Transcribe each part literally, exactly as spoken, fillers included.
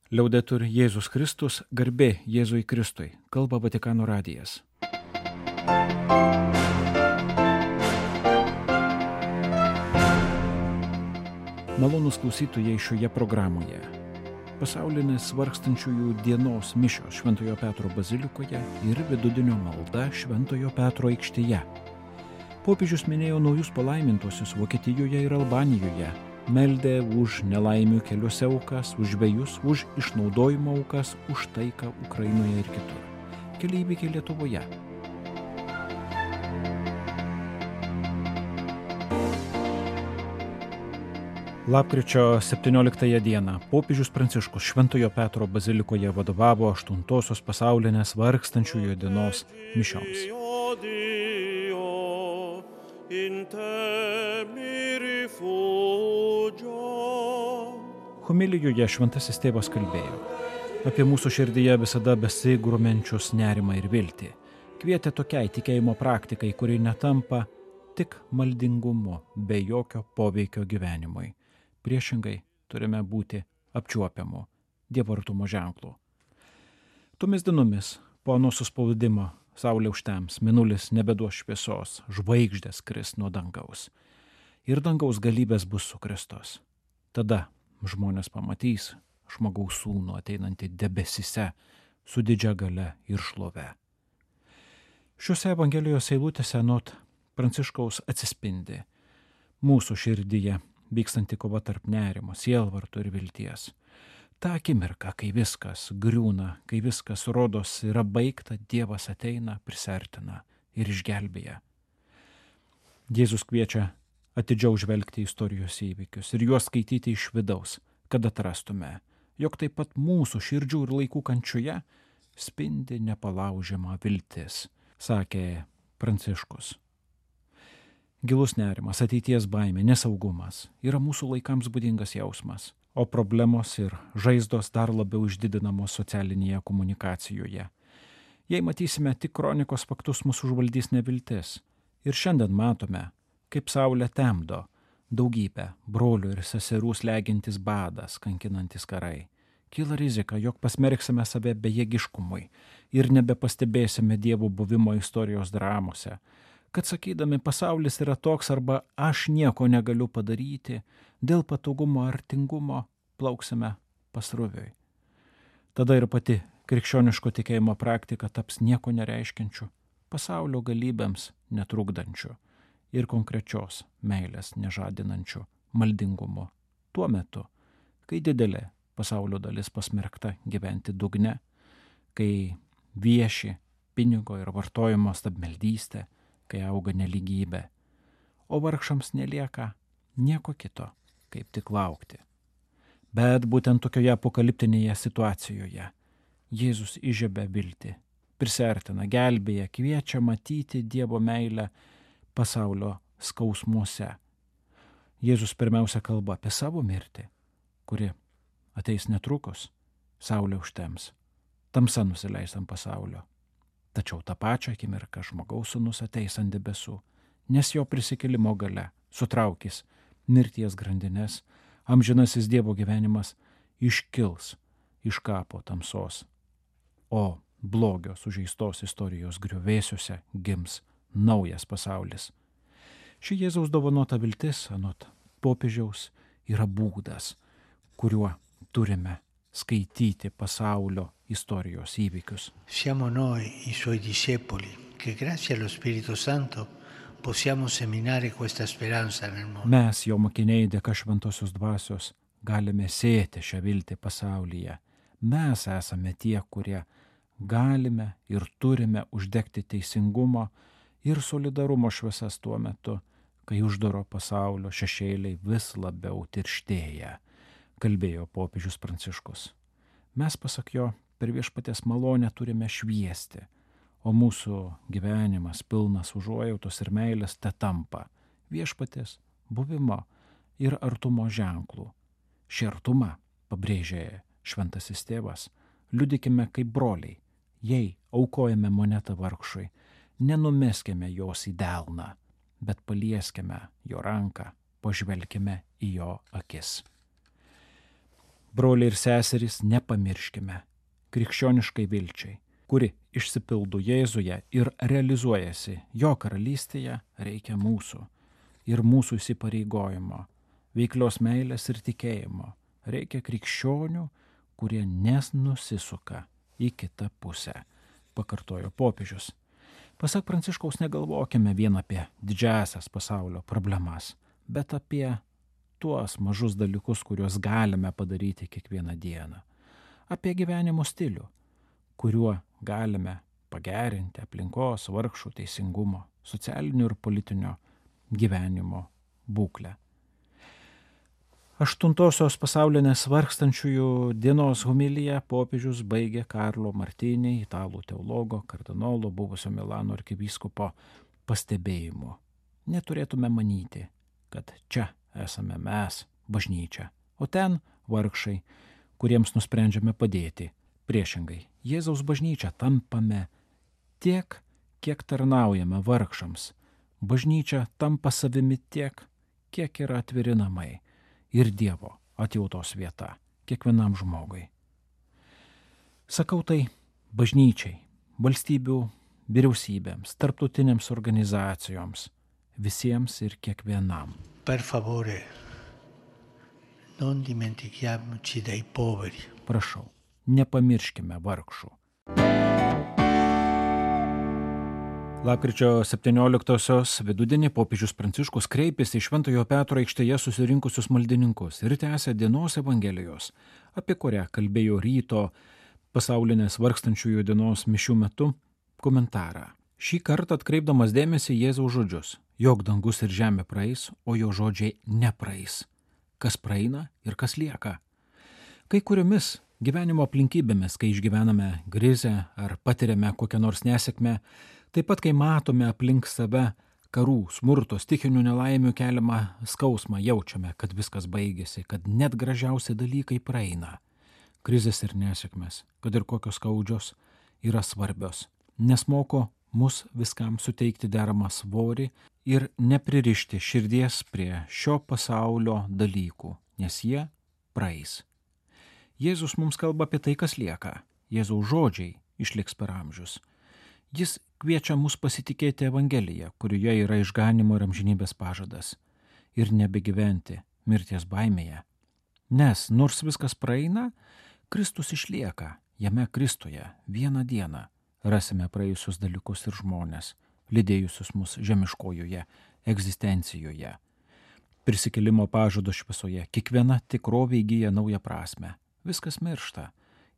Liaudetur Jėzus Kristus, garbė Jėzui Kristui, kalba Vatikano radijas. Malonūs klausytojai šioje programoje. Pasaulinės vargstančiųjų dienos mišios Šventojo Petro bazilikoje ir vidudienio malda Šventojo Petro aikštėje. Popiežius minėjo naujus palaimintuosius Vokietijoje ir Albanijoje. Meldė už nelaimių keliuose aukas, už žvejus, už išnaudojimo aukas, už taiką Ukrainoje ir kitur. Keli įvykiai Lietuvoje. Lapkričio septynioliktąją dieną popiežius Pranciškus Šventojo Petro bazilikoje vadovavo aštuntosios pasaulinės vargstančiųjų dienos mišioms. Homilijoje šventasis tėvas kalbėjo apie mūsų širdyje visada besigrumenčius nerimą ir viltį. Kvietė tokiai tikėjimo praktikai, kuri netampa tik maldingumu, be jokio poveikio gyvenimui. Priešingai turime būti apčiuopiamu Dievo artumo ženklu. Tomis dienomis po ano suspaudimo saulė užtems, mėnulis nebeduos šviesos, žvaigždės kris nuo dangaus. Ir dangaus galybės bus sukristos. Tada žmonės pamatys žmogaus sūnų ateinantį debesyse su didžia galia ir šlove. Šiuose Evangelijos eilutėse anot Pranciškaus atsispindi mūsų širdyje vykstanti kova tarp nerimo, sielvarto ir vilties. Ta akimirka, kai viskas griūna, kai viskas rodos yra baigta, Dievas ateina, prisertina ir išgelbėja. Jėzus kviečia atidžiau žvelgti į istorijos įvykius ir juos skaityti iš vidaus, kad atrastume, jog taip pat mūsų širdžių ir laikų kančioje spindi nepalaužiama viltis, sakė Pranciškus. Gilus nerimas, ateities baimė, nesaugumas yra mūsų laikams būdingas jausmas, o problemos ir žaizdos dar labiau išdidinamos socialinėje komunikacijoje. Jei matysime tik kronikos faktus, mūsų užvaldys neviltis. Ir šiandien matome, kaip saulė temdo daugybę brolių ir seserų slegintis badas, kankinantis karai. Kyla rizika, jog pasmerksime save bejėgiškumui ir nebepastebėsime Dievo buvimo istorijos dramose, kad sakydami pasaulis yra toks arba aš nieko negaliu padaryti, dėl patogumo ar tingumo plauksime pasroviui. Tada ir pati krikščioniško tikėjimo praktika taps nieko nereiškiančiu, pasaulio galybėms netrukdančiu ir konkrečios meilės nežadinančiu maldingumu. Tuo metu, kai didelė pasaulio dalis pasmerkta gyventi dugne, kai vieši pinigo ir vartojimo stabmeldystė, kai auga nelygybė, o vargšams nelieka nieko kito, kaip tik laukti. Bet būtent tokioje apokaliptinėje situacijoje Jėzus įžiebia viltį, prisertina, gelbėja, kviečia matyti Dievo meilę pasaulio skausmuose. Jėzus pirmiausia kalba apie savo mirtį, kuri ateis netrukus, saulė užtems, tamsa nusileis ant pasaulio. Tačiau tą pačią akimirką žmogaus sūnus ateis ant debesų, nes jo prisikėlimo galia sutraukys mirties grandines, amžinasis Dievo gyvenimas iškils iš kapo tamsos, o blogio sužeistos istorijos griuvėsiuose gims naujas pasaulis. Ši Jėzaus dovanota viltis, anot popiežiaus, yra būdas, kuriuo turime skaityti pasaulio istorijos įvykius. Siamo noi, i suoi discepoli, che grazie allo Spirito Santo possiamo seminare questa speranza nel mondo. Mes, jo mokiniai, dėka šventosios dvasios, galime sėti šią viltį pasaulyje. Mes esame tie, kurie galime ir turime uždegti teisingumo ir solidarumo šviesas tuo metu, kai uždaro pasaulio šešėliai vis labiau tirštėja, kalbėjo popiežius Pranciškus. Mes, pasak jo, per viešpaties malonę turime šviesti, o mūsų gyvenimas pilnas užuojautos ir meilės te tampa viešpaties buvimo ir artumo ženklų. Šį artumą, pabrėžė šventasis tėvas, liudykime kaip broliai. Jei aukojame monetą vargšui, nenumeskime jos į delną, bet palieskime jo ranką, pažvelkime į jo akis. Broliai ir seserys, nepamirškime krikščioniškai vilčiai, kuri išsipildo Jėzuje ir realizuojasi jo karalystėje, reikia mūsų ir mūsų įsipareigojimo, veiklios meilės ir tikėjimo. Reikia krikščionių, kurie nesnusisuka į kitą pusę, pakartojo popiežius. Pasak Pranciškaus, negalvokime vien apie didžiasias pasaulio problemas, bet apie tuos mažus dalykus, kuriuos galime padaryti kiekvieną dieną. Apie gyvenimo stilių, kuriuo galime pagerinti aplinkos, vargšų, teisingumo, socialinio ir politinio gyvenimo būklę. Aštuntosios pasaulinės vargstančiųjų dienos homiliją popiežius baigė Karlo Martini, italų teologo, kardinolo, buvusio Milano arkivyskupo pastebėjimu. Neturėtume manyti, kad čia esame mes, bažnyčia, o ten vargšai, kuriems nusprendžiame padėti. Priešingai, Jėzaus bažnyčia tampame tiek, kiek tarnaujame vargšams. Bažnyčia tampa savimi tiek, kiek yra atviri namai ir Dievo atjautos vieta kiekvienam žmogui. Sakau tai bažnyčiai, valstybių vyriausybėms, tarptautinėms organizacijoms, visiems ir kiekvienam. Per favore, non dimentichiamoci dei poveri. Prašau, nepamirškime vargšų. Lapkričio septynioliktosios vidudienį popiežius Pranciškus kreipėsi į Šventojo Petro aikštėje susirinkusius maldininkus ir tęsė dienos evangelijos, apie kurią kalbėjo ryto pasaulinės vargstančiųjų dienos mišių metu, komentarą. Šį kartą atkreipdamas dėmesį Jėzaus žodžius, jog dangus ir žemė praeis, o jo žodžiai nepraeis. Kas praeina ir kas lieka. Kai kuriomis gyvenimo aplinkybėmis, kai išgyvename krizę ar patiriame kokią nors nesėkmę, taip pat kai matome aplink save karų, smurto, stichinių nelaimių keliamą skausmą, jaučiame, kad viskas baigėsi, kad net gražiausi dalykai praeina. Krizės ir nesėkmės, kad ir kokios skaudžios, yra svarbios, nes moko mus viskam suteikti deramą svorį ir nepririšti širdies prie šio pasaulio dalykų, nes jie praeis. Jėzus mums kalba apie tai, kas lieka. Jėzaus žodžiai išliks per amžius. Jis kviečia mus pasitikėti Evangeliją, kurioje yra išganimo ir amžinybės pažadas, ir nebegyventi mirties baimėje. Nes nors viskas praeina, Kristus išlieka, jame Kristuje vieną dieną rasime praėjusius dalykus ir žmonės, lydėjusius mus žemiškojoje egzistencijoje. Prisikėlimo pažado šviesoje kiekviena tikrovė įgyja naują prasme. Viskas miršta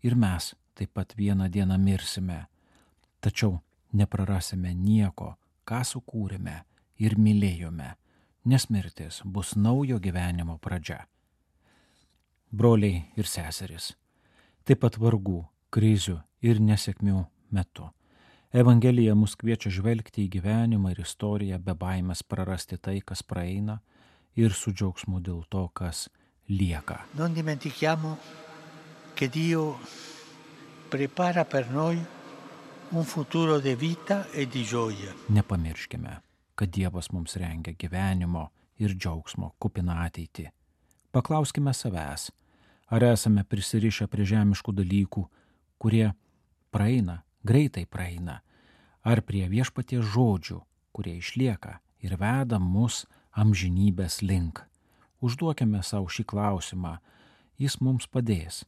ir mes taip pat vieną dieną mirsime. Tačiau neprarasime nieko, ką sukūrėme ir mylėjome, nes mirtis bus naujo gyvenimo pradžia. Broliai ir seserys, taip pat vargų, krizių ir nesėkmių metu. Evangelija mus kviečia žvelgti į gyvenimą ir istoriją be baimės prarasti tai, kas praeina, ir su džiaugsmu dėl to, kas lieka. Non dimentichiamo che Dio prepara per noi un futuro de vita e di gioia. Nepamirškime, kad Dievas mums rengia gyvenimo ir džiaugsmo kupiną ateitį. Paklauskime savęs, ar esame prisirišę prie žemiškų dalykų, kurie praeina, greitai praeina, ar prie viešpaties žodžių, kurie išlieka ir veda mus amžinybės link. Užduokime savo šį klausimą, jis mums padės.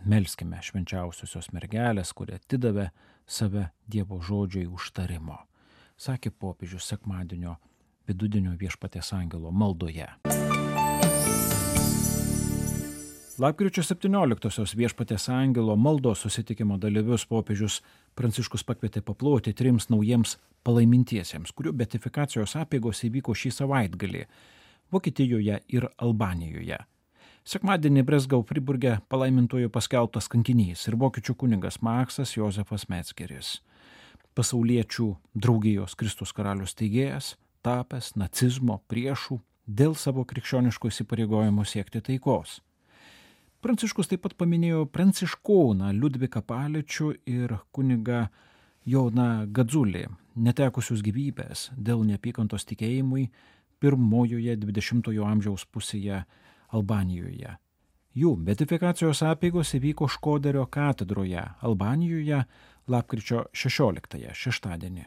Melskime švenčiausiosios mergelės, kurie atidavė save Dievo žodžiai užtarimo, sakė popiežius sekmadienio vidudienio viešpaties angelo maldoje. Lapkričio septynioliktosios viešpaties angelo maldos susitikimo dalyvius popiežius Pranciškus pakvietė paploti trims naujiems palaimintiesiems, kurių beatifikacijos apeigos įvyko šį savaitgalį Vokietijoje ir Albanijoje. Sekmadienį Bresgau Friburge palaimintojų paskelbtas kankinys ir vokiečių kunigas Maksas Jozefas Metzgeris, pasauliečių draugijos Kristus karalius steigėjas, tapęs nacizmo priešų dėl savo krikščioniškų įsipareigojimų siekti taikos. Pranciškus taip pat paminėjo pranciškoną Liudviką Paličių ir kunigą Joną Gadzulį, netekusius gyvybės dėl neapykantos tikėjimui pirmojoje dvidešimtojo amžiaus pusėje Albanijoje. Jų beatifikacijos apeigos įvyko Škoderio katedroje Albanijoje lapkričio šešioliktąją šeštadienį.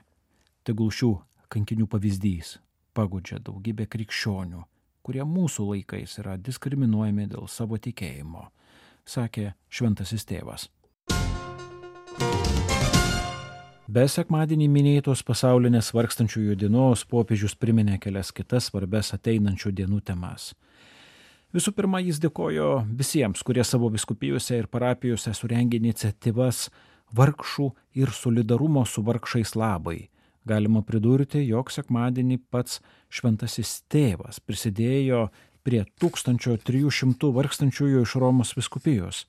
Tegul šių kankinių pavyzdys paguodžia daugybę krikščionių, kurie mūsų laikais yra diskriminuojami dėl savo tikėjimo, sakė šventasis tėvas. Be sekmadienį minėtos pasaulinės vargstančiųjų dienos popiežius priminė kelias kitas svarbes ateinančių dienų temas. Visų pirma, jis dėkojo visiems, kurie savo vyskupijose ir parapijose surengė iniciatyvas vargšų ir solidarumo su vargšais labai. Galima pridurti, jog sekmadienį pats šventasis tėvas prisidėjo prie tūkstančio trijų šimtų vargstančiųjų iš Romos vyskupijos,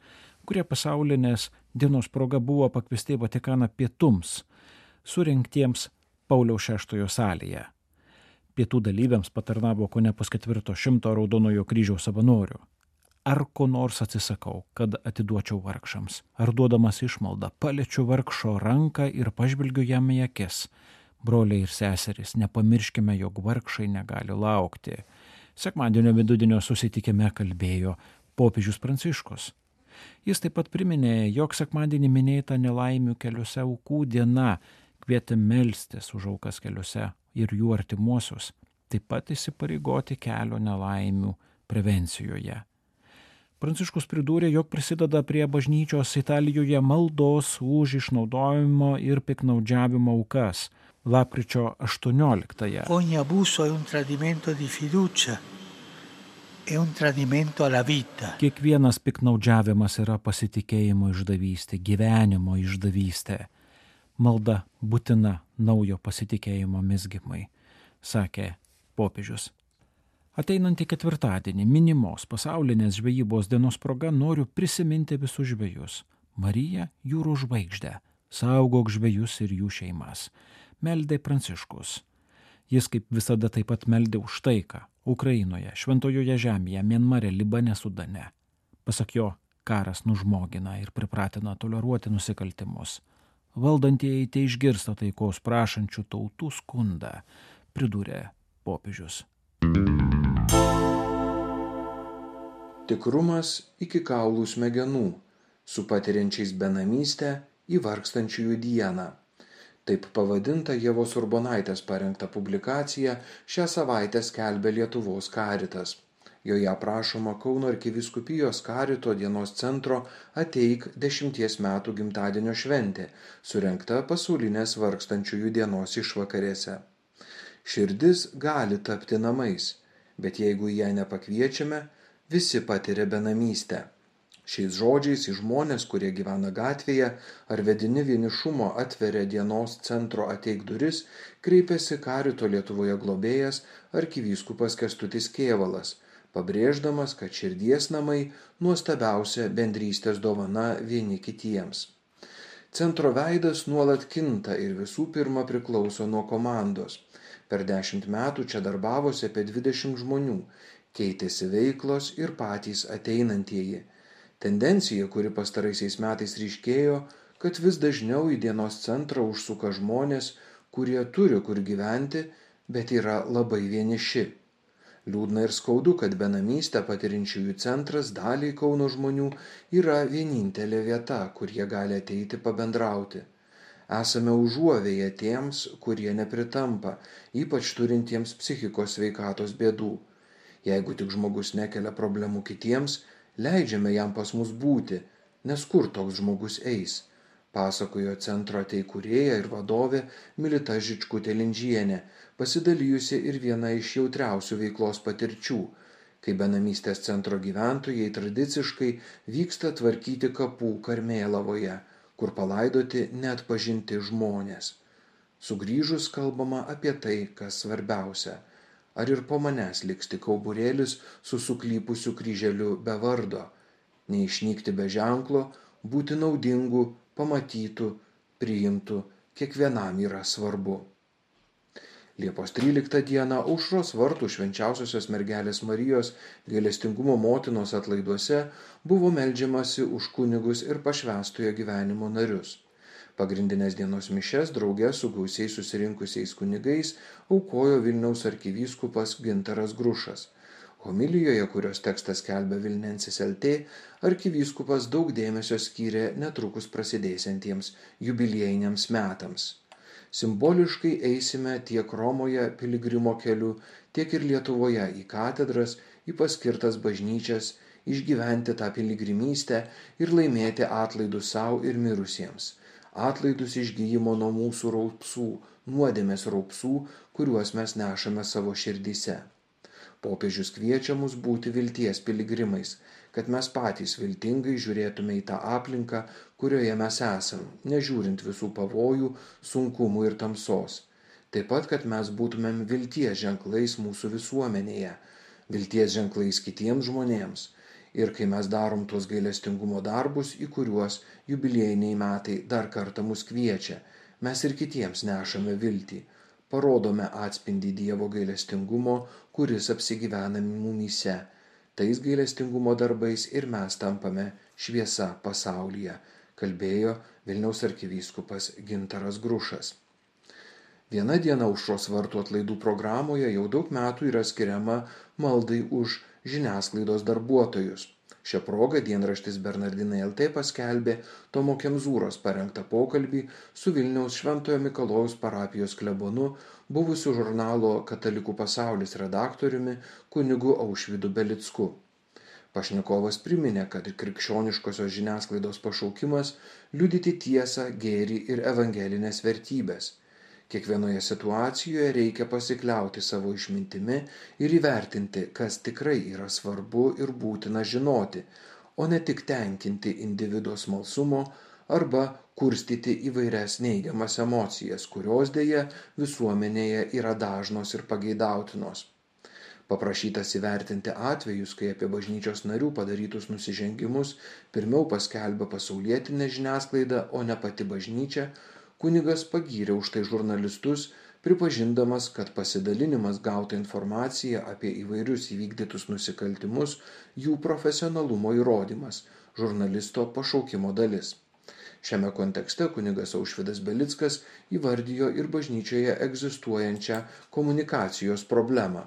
kurie pasaulinės dienos proga buvo pakviesti į Vatikaną pietums, surengtiems Pauliaus šeštojo salėje. Pietų dalyviams patarnavo kone pusketvirto šimto Raudonojo kryžiaus savanorių. Ar ko nors atsisakau, kad atiduočiau vargšams? Ar duodamas išmaldą paliečiu vargšo ranką ir pažvelgiu jam į akis? Broliai ir seserys, nepamirškime, jog vargšai negali laukti. Sekmadienio vidudienio susitikime kalbėjo popiežius Pranciškus. Jis taip pat priminė, jog sekmadienį minėta nelaimių keliuose aukų diena, kvietė melstis už aukas keliuose ir jų artimuosius, taip pat įsipareigoti kelio nelaimių prevencijoje. Pranciškus pridūrė, jog prisideda prie bažnyčios Italijoje maldos už išnaudojimo ir piknaudžiavimo aukas lapkričio aštuonioliktąją. Ogni abuso è un tradimento di fiducia, è un tradimento alla vita. Kiekvienas piknaudžiavimas yra pasitikėjimo išdavystė, gyvenimo išdavystė. Malda būtina naujo pasitikėjimo mezgimai, sakė popiežius. Ateinantį ketvirtadienį minimos pasaulinės žvejybos dienos proga noriu prisiminti visus žvejus. Marija jūrų žvaigždę, saugok žvejus ir jų šeimas, meldė Pranciškus. Jis kaip visada taip pat meldė už taiką Ukrainoje, Šventojoje žemėje, Mianmare, Libane, Sudane. Pasak jo, karas nužmogina ir pripratina toleruoti nusikaltimus. Valdantieji te išgirsta taikos prašančių tautų skundą, pridūrė popiežius. Tikrumas iki kaulų smegenų, su patiriančiais benamystę į vargstančiųjų dieną. Taip pavadinta Ievos Urbonaitės parengta publikacija šią savaitę skelbia Lietuvos Karitas. Joje aprašoma Kauno arkivyskupijos Karito dienos centro Ateik dešimties metų gimtadienio šventė, surengta pasaulinės vargstančiųjų dienos išvakarėse. Širdis gali tapti namais, bet jeigu ją nepakviečiame, visi patiria benamystę. Šiais žodžiais į žmonės, kurie gyvena gatvėje ar vedini vienišumo atveria dienos centro Ateik duris, kreipiasi Karito Lietuvoje globėjas arkivyskupas Kęstutis Kėvalas, pabrėždamas, kad širdies namai nuostabiausia bendrystės dovana vieni kitiems. Centro veidas nuolat kinta ir visų pirma priklauso nuo komandos. Per dešimt metų čia darbavosi apie dvidešimt žmonių, keitėsi veiklos ir patys ateinantieji. Tendencija, kuri pastaraisiais metais ryškėjo, kad vis dažniau į dienos centrą užsuka žmonės, kurie turi kur gyventi, bet yra labai vieniši. Liūdna ir skaudu, kad benamystę patirinčiųjų centras daliai Kauno žmonių yra vienintelė vieta, kur jie gali ateiti pabendrauti. Esame užuovėję tiems, kurie nepritampa, ypač turintiems psichikos sveikatos bėdų. Jeigu tik žmogus nekelia problemų kitiems, leidžiame jam pas mus būti, nes kur toks žmogus eis, pasakojo centro teikūrėja ir vadovė Milita Žičkutė-Lindžienė, pasidalijusi ir viena iš jautriausių veiklos patirčių, kai benamystės centro gyventojai tradiciškai vyksta tvarkyti kapų Karmėlavoje, kur palaidoti neatpažinti žmonės. Sugrįžus kalbama apie tai, kas svarbiausia. Ar ir po manęs liks tik kauburėlis su suklypusiu kryželiu be vardo, neišnykti be ženklo, būti naudingu, pamatytų, priimtų, kiekvienam yra svarbu. Liepos tryliktą dieną Aušros vartų švenčiausiosios mergelės Marijos gailestingumo motinos atlaiduose buvo meldžiamasi už kunigus ir pašvęstojo gyvenimo narius. Pagrindinės dienos mišias drauge su gausiai susirinkusiais kunigais aukojo Vilniaus arkivyskupas Gintaras Grušas. Homilijoje, kurios tekstas skelbia Vilnensis L T, arkivyskupas daug dėmesio skyrė netrukus prasidėsiantiems jubiliejiniams metams. Simboliškai eisime tiek Romoje piligrimo keliu, tiek ir Lietuvoje į katedras, į paskirtas bažnyčias, išgyventi tą piligrimystę ir laimėti atlaidus savo ir mirusiems. Atlaidus išgyjimo nuo mūsų raupsų, nuodėmės raupsų, kuriuos mes nešame savo širdyse. Popiežius kviečia mus būti vilties piligrimais, kad mes patys viltingai žiūrėtume į tą aplinką, kurioje mes esam, nežiūrint visų pavojų, sunkumų ir tamsos. Taip pat, kad mes būtumėm vilties ženklais mūsų visuomenėje, vilties ženklais kitiems žmonėms. Ir kai mes darom tuos gailestingumo darbus, į kuriuos jubiliejiniai metai dar kartą mus kviečia, mes ir kitiems nešame viltį. Parodome atspindį Dievo gailestingumo, kuris apsigyvena mumyse. Tais gailestingumo darbais ir mes tampame šviesa pasaulyje, kalbėjo Vilniaus arkivyskupas Gintaras Grušas. Viena diena aušros vartų atlaidų programoje jau daug metų yra skiriama maldai už žiniasklaidos darbuotojus. Šią progą dienraštis Bernardinai L T paskelbė Tomo Kemzūros parengtą pokalbį su Vilniaus Šventojo Mikalojaus parapijos klebonu, buvusiu žurnalo Katalikų pasaulis redaktoriumi kunigu Aušvydu Belicku. Pašnekovas priminė, kad krikščioniškosios žiniasklaidos pašaukimas liudyti tiesą, gėrį ir evangelinės vertybės. Kiekvienoje situacijoje reikia pasikliauti savo išmintimi ir įvertinti, kas tikrai yra svarbu ir būtina žinoti, o ne tik tenkinti individo smalsumo arba kurstyti įvairias neigiamas emocijas, kurios dėja visuomenėje yra dažnos ir pageidautinos. Paprašytas įvertinti atvejus, kai apie bažnyčios narių padarytus nusižengimus pirmiau paskelbė pasaulietinė žiniasklaida, o ne pati bažnyčia, kunigas pagyrė už tai žurnalistus, pripažindamas, kad pasidalinimas gauta informacija apie įvairius įvykdytus nusikaltimus jų profesionalumo įrodymas, žurnalisto pašaukimo dalis. Šiame kontekste kunigas Aušvydas Belickas įvardijo ir bažnyčioje egzistuojančią komunikacijos problemą.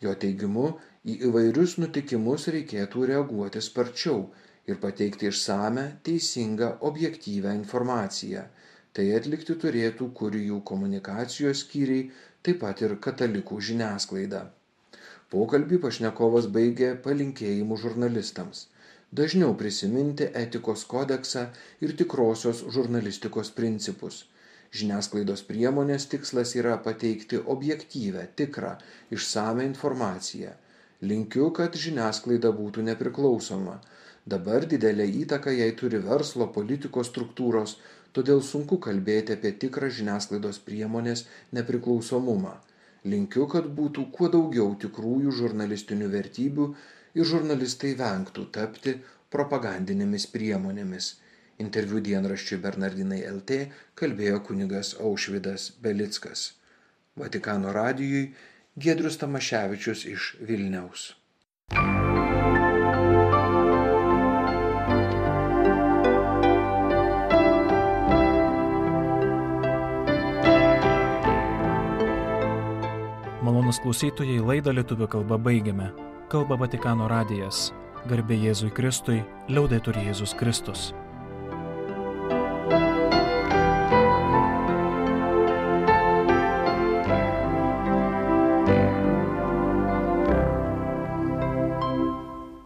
Jo teigimu, į įvairius nutikimus reikėtų reaguoti sparčiau ir pateikti išsame, teisingą, objektyvią informaciją. Tai atlikti turėtų kurijų komunikacijos skyriai, taip pat ir katalikų žiniasklaida. Pokalbį pašnekovas baigė palinkėjimu žurnalistams. Dažniau prisiminti etikos kodeksą ir tikrosios žurnalistikos principus. Žiniasklaidos priemonės tikslas yra pateikti objektyvę, tikrą, išsame informaciją. Linkiu, kad žiniasklaida būtų nepriklausoma. Dabar didelę įtaką jai turi verslo, politikos struktūros, todėl sunku kalbėti apie tikrą žiniasklaidos priemonės nepriklausomumą. Linkiu, kad būtų kuo daugiau tikrųjų žurnalistinių vertybių ir žurnalistai vengtų tapti propagandinėmis priemonėmis. Interviu dienraščiui Bernardinai L T kalbėjo kunigas Aušvydas Belickas. Vatikano radijui Giedrius Tamaševičius iš Vilniaus. Malonūs klausytojai, laidą lietuvių kalba baigiame. Kalba Vatikano radijas. Garbė Jėzui Kristui, liaudetur Jėzus Kristus.